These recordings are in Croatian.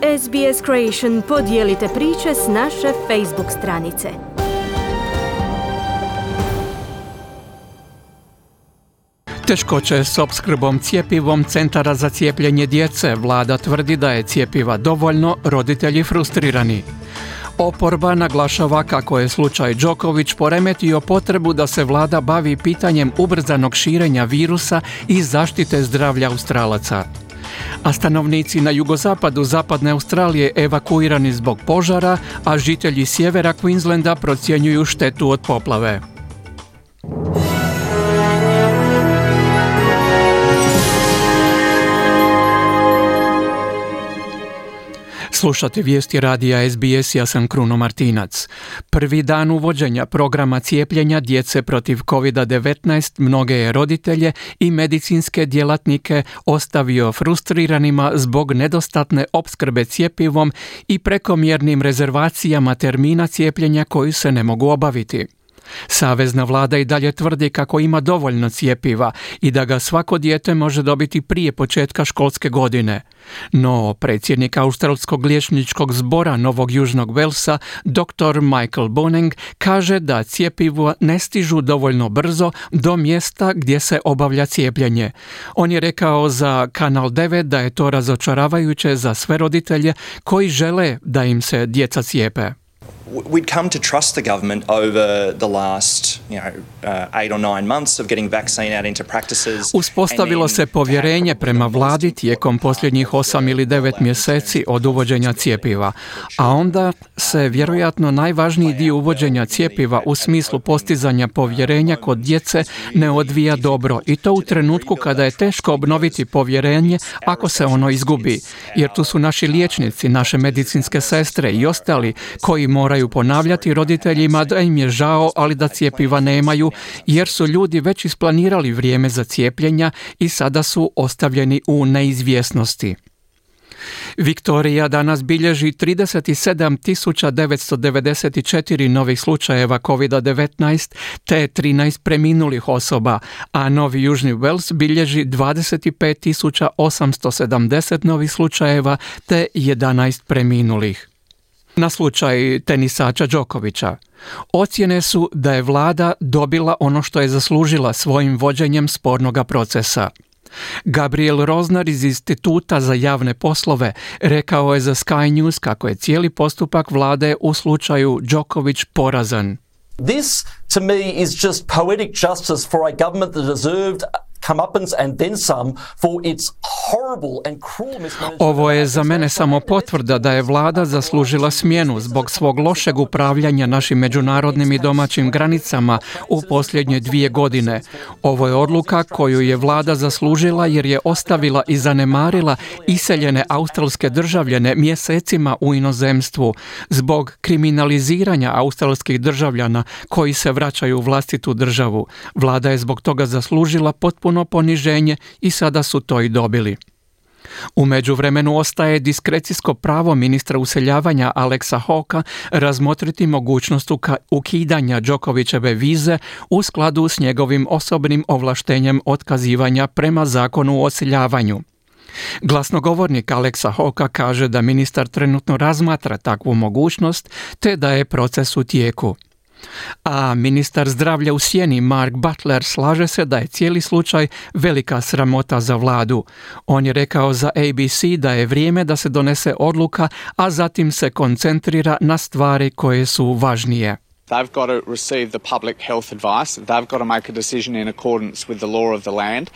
SBS Creation podijelite priče s naše Facebook stranice. Teškoće s opskrbom cjepivom Centara za cijepljenje djece. Vlada tvrdi da je cjepiva dovoljno, roditelji frustrirani. Oporba naglašava kako je slučaj Đoković poremetio potrebu da se vlada bavi pitanjem ubrzanog širenja virusa i zaštite zdravlja Australaca. A stanovnici na jugozapadu zapadne Australije evakuirani zbog požara, a žitelji sjevera Queenslanda procjenjuju štetu od poplave. Slušate vijesti radija SBS, ja sam Kruno Martinac. Prvi dan uvođenja programa cijepljenja djece protiv COVID-19 mnoge je roditelje i medicinske djelatnike ostavio frustriranima zbog nedostatne opskrbe cjepivom i prekomjernim rezervacijama termina cijepljenja koji se ne mogu obaviti. Savezna vlada i dalje tvrdi kako ima dovoljno cjepiva i da ga svako dijete može dobiti prije početka školske godine. No, predsjednik Australskog liječničkog zbora Novog Južnog Velsa, dr. Michael Boneng, kaže da cjepiva ne stižu dovoljno brzo do mjesta gdje se obavlja cijepljenje. On je rekao za Kanal 9 da je to razočaravajuće za sve roditelje koji žele da im se djeca cijepe. We'd come to trust the government over the last, 8 or 9 months of getting vaccine out into practices. Uspostavilo se povjerenje prema vladi tijekom posljednjih 8 ili 9 mjeseci od uvođenja cjepiva, a onda se vjerojatno najvažniji dio uvođenja cjepiva u smislu postizanja povjerenja kod djece ne odvija dobro, i to u trenutku kada je teško obnoviti povjerenje ako se ono izgubi, jer tu su naši liječnici, naše medicinske sestre i ostali koji moraju ponavljati roditeljima da im je žao, ali da cjepiva nemaju, jer su ljudi već isplanirali vrijeme za cijepljenja i sada su ostavljeni u neizvjesnosti. Viktorija danas bilježi 37.994 novih slučajeva COVID-19 te 13 preminulih osoba, a Novi Južni Wales bilježi 25.870 novih slučajeva te 11 preminulih. Na slučaj tenisača Đokovića. Ocjene su da je vlada dobila ono što je zaslužila svojim vođenjem spornoga procesa. Gabriel Rozner iz Instituta za javne poslove rekao je za Sky News kako je cijeli postupak vlade u slučaju Đoković porazan. This to me is just poetic justice for a government that deserved comeuppance and then some for its horrible and cruel mismanagement. Ovo je za mene samo potvrda da je vlada zaslužila smjenu zbog svog lošeg upravljanja našim međunarodnim i domaćim granicama u posljednje 2 godine. Ovo je odluka koju je vlada zaslužila jer je ostavila i zanemarila iseljene australske državljane mjesecima u inozemstvu zbog kriminaliziranja australskih državljana koji se vraćaju u vlastitu državu. Vlada je zbog toga zaslužila potpuno poniženje i sada su to i dobili. U međuvremenu ostaje diskrecijsko pravo ministra useljavanja Alexa Hawkea razmotriti mogućnost ukidanja Đokovićeve vize u skladu s njegovim osobnim ovlaštenjem otkazivanja prema zakonu o useljavanju. Glasnogovornik Alexa Hawkea kaže da ministar trenutno razmatra takvu mogućnost te da je proces u tijeku. A ministar zdravlja u sjeni Mark Butler slaže se da je cijeli slučaj velika sramota za vladu. On je rekao za ABC da je vrijeme da se donese odluka, a zatim se koncentrira na stvari koje su važnije. They've got to receive the public health advice. They've got to make a decision in accordance with the law of the land.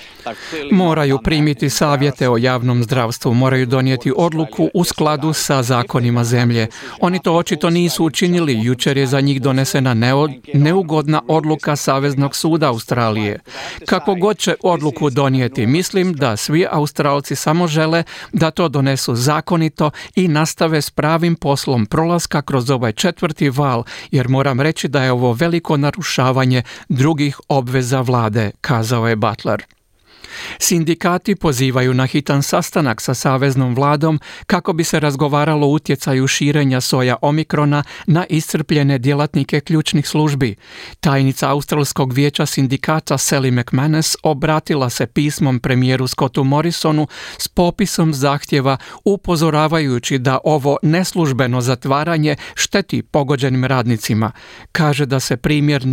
Moraju primiti savjete o javnom zdravstvu, moraju donijeti odluku u skladu sa zakonima zemlje. Oni to očito nisu učinili. Jučer je za njih donesena neugodna odluka Saveznog suda Australije. Kako god će odluku donijeti, mislim da svi Australci samo žele da to donesu zakonito i nastave s pravim poslom prolaska kroz ovaj 4. val, jer moram reći da je ovo veliko narušavanje drugih obveza vlade, kazao je Butler. Sindikati pozivaju na hitan sastanak sa saveznom vladom kako bi se razgovaralo o utjecaju širenja soja omikrona na iscrpljene djelatnike ključnih službi. Tajnica Australskog vijeća sindikata Sally McManus obratila se pismom premijeru Scottu Morrisonu s popisom zahtjeva upozoravajući da ovo neslužbeno zatvaranje šteti pogođenim radnicima. Kaže da se premijer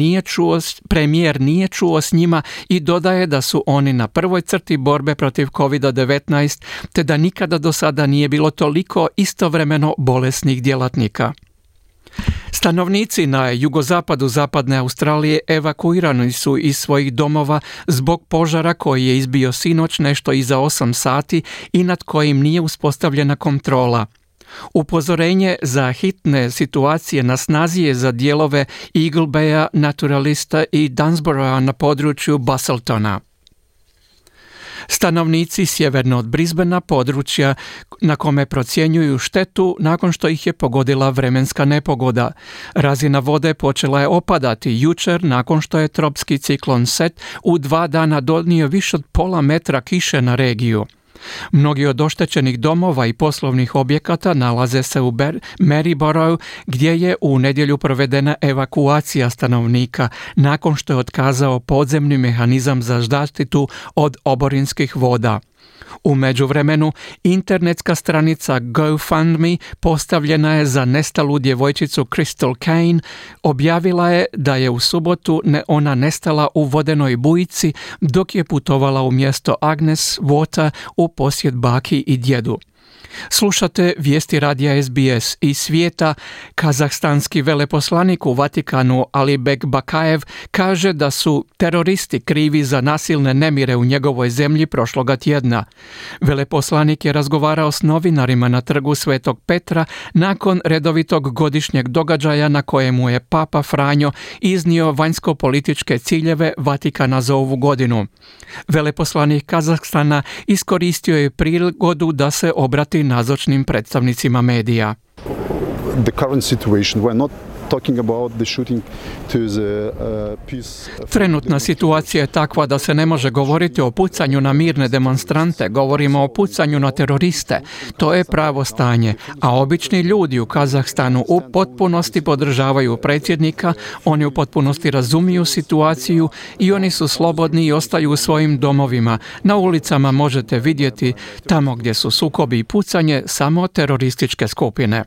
nije čuo s njima i dodaje da su oni na prvoj crti borbe protiv COVID-19 te da nikada do sada nije bilo toliko istovremeno bolesnih djelatnika. Stanovnici na jugozapadu zapadne Australije evakuirani su iz svojih domova zbog požara koji je izbio sinoć nešto iza 8 sati i nad kojim nije uspostavljena kontrola. Upozorenje za hitne situacije na snazi je za dijelove Eagle Baya, Naturalista i Dunsborougha na području Busseltona. Stanovnici sjeverno od Brisbanea, područja na kome procjenjuju štetu nakon što ih je pogodila vremenska nepogoda. Razina vode počela je opadati jučer nakon što je tropski ciklon Seth u 2 dana donio više od pola metra kiše na regiju. Mnogi od oštećenih domova i poslovnih objekata nalaze se u Maryboroughu, gdje je u nedjelju provedena evakuacija stanovnika nakon što je otkazao podzemni mehanizam za zaštitu od oborinskih voda. U međuvremenu, internetska stranica GoFundMe postavljena je za nestalu djevojčicu Crystal Kane, objavila je da je u subotu ona nestala u vodenoj bujici dok je putovala u mjesto Agnes Water u posjet baki i djedu. Slušate vijesti radija SBS iz svijeta. Kazahstanski veleposlanik u Vatikanu Alibek Bakajev kaže da su teroristi krivi za nasilne nemire u njegovoj zemlji prošloga tjedna. Veleposlanik je razgovarao s novinarima na trgu Svetog Petra nakon redovitog godišnjeg događaja na kojemu je Papa Franjo iznio vanjsko-političke ciljeve Vatikana za ovu godinu. Veleposlanik Kazahstana iskoristio je prigodu da se obrati nazočnim predstavnicima medija. The current situation, we're not talking about the shooting to the peace. Trenutna situacija je takva da se ne može govoriti o pucanju na mirne demonstrante, govorimo o pucanju na teroriste. To je pravo stanje, a obični ljudi u Kazahstanu u potpunosti podržavaju predsjednika, oni u potpunosti razumiju situaciju i oni su slobodni i ostaju u svojim domovima. Na ulicama možete vidjeti, tamo gdje su sukobi i pucanje, samo terorističke skupine.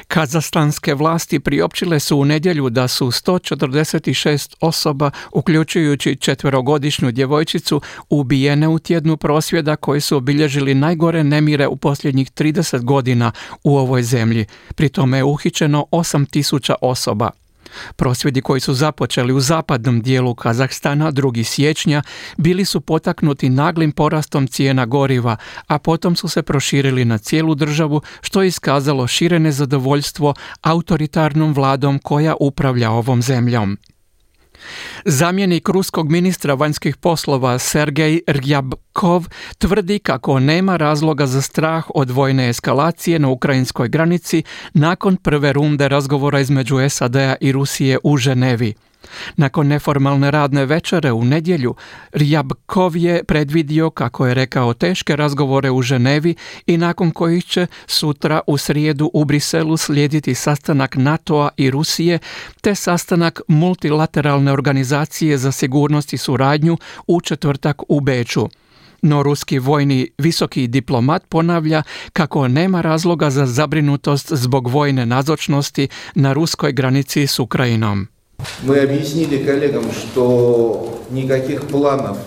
Kazahstanske vlasti priopćile su u nedjelju da su 146 osoba, uključujući 4-godišnju djevojčicu, ubijene u tjednu prosvjeda koji su obilježili najgore nemire u posljednjih 30 godina u ovoj zemlji. Pri tome je uhićeno 8.000 osoba. Prosvjedi koji su započeli u zapadnom dijelu Kazahstana 2. siječnja bili su potaknuti naglim porastom cijena goriva, a potom su se proširili na cijelu državu, što je iskazalo šire nezadovoljstvo autoritarnom vladom koja upravlja ovom zemljom. Zamjenik ruskog ministra vanjskih poslova Sergej Ryabkov tvrdi kako nema razloga za strah od vojne eskalacije na ukrajinskoj granici nakon prve runde razgovora između SAD-a i Rusije u Ženevi. Nakon neformalne radne večere u nedjelju, Ryabkov je predvidio, kako je rekao, teške razgovore u Ženevi i nakon kojih će sutra u srijedu u Briselu slijediti sastanak NATO-a i Rusije te sastanak multilateralne organizacije za sigurnost i suradnju u četvrtak u Beču. No ruski vojni visoki diplomat ponavlja kako nema razloga za zabrinutost zbog vojne nazočnosti na ruskoj granici s Ukrajinom. Мы объяснили коллегам, что никаких планов.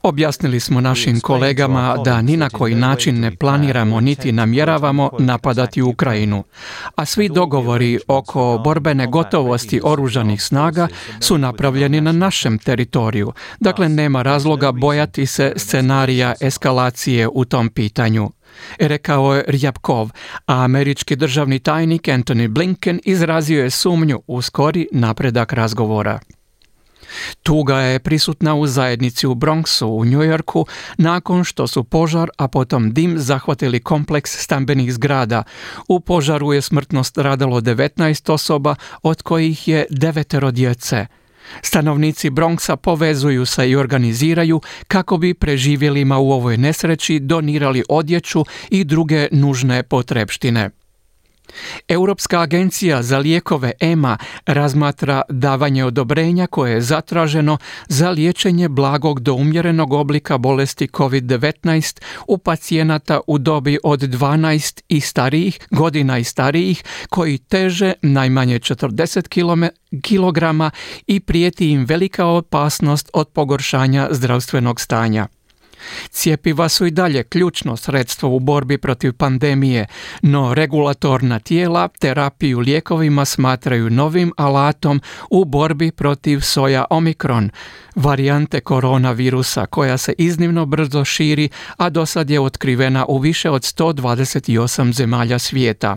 Objasnili smo našim kolegama da ni na koji način ne planiramo niti namjeravamo napadati Ukrajinu, a svi dogovori oko borbene gotovosti oružanih snaga su napravljeni na našem teritoriju. Dakle, nema razloga bojati se scenarija eskalacije u tom pitanju, rekao je Ryabkov, a američki državni tajnik Antony Blinken izrazio je sumnju u skori napredak razgovora. Tuga je prisutna u zajednici u Bronxu u New Yorku nakon što su požar, a potom dim zahvatili kompleks stambenih zgrada. U požaru je smrtno stradalo 19 osoba, od kojih je 9 djece. Stanovnici Bronxa povezuju se i organiziraju kako bi preživjelima u ovoj nesreći donirali odjeću i druge nužne potrepštine. Europska agencija za lijekove EMA razmatra davanje odobrenja koje je zatraženo za liječenje blagog do umjerenog oblika bolesti COVID-19 u pacijenata u dobi od 12 godina i starijih koji teže najmanje 40 kilograma i prijeti im velika opasnost od pogoršanja zdravstvenog stanja. Cjepiva su i dalje ključno sredstvo u borbi protiv pandemije, no regulatorna tijela terapiju lijekovima smatraju novim alatom u borbi protiv soja Omikron, varijante koronavirusa koja se iznimno brzo širi, a dosad je otkrivena u više od 128 zemalja svijeta.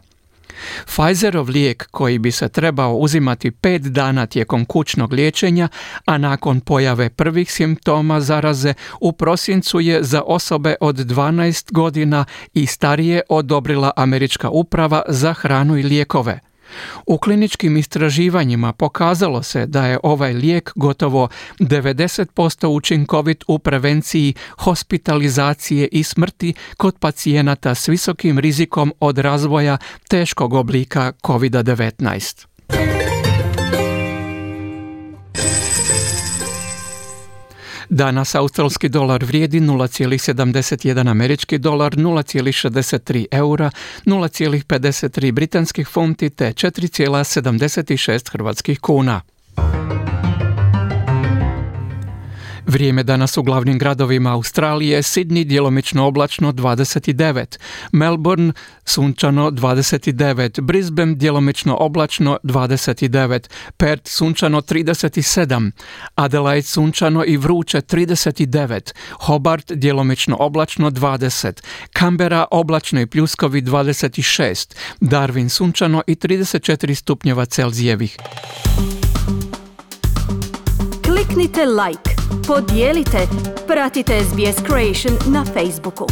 Pfizerov lijek koji bi se trebao uzimati 5 dana tijekom kućnog liječenja, a nakon pojave prvih simptoma zaraze u prosincu je za osobe od 12 godina i starije odobrila Američka uprava za hranu i lijekove. U kliničkim istraživanjima pokazalo se da je ovaj lijek gotovo 90% učinkovit u prevenciji hospitalizacije i smrti kod pacijenata s visokim rizikom od razvoja teškog oblika COVID-19. Danas australski dolar vrijedi 0,71 američki dolar, 0,63 eura, 0,53 britanskih funti te 4,76 hrvatskih kuna. Vrijeme danas u glavnim gradovima Australije: Sydney djelomično oblačno 29, Melbourne sunčano 29, Brisbane djelomično oblačno 29, Perth sunčano 37, Adelaide sunčano i vruće 39, Hobart djelomično oblačno 20, Canberra oblačno i pljuskovi 26, Darwin sunčano i 34 stupnjeva Celzijevih. Kliknite like, podijelite, pratite SBS Creation na Facebooku.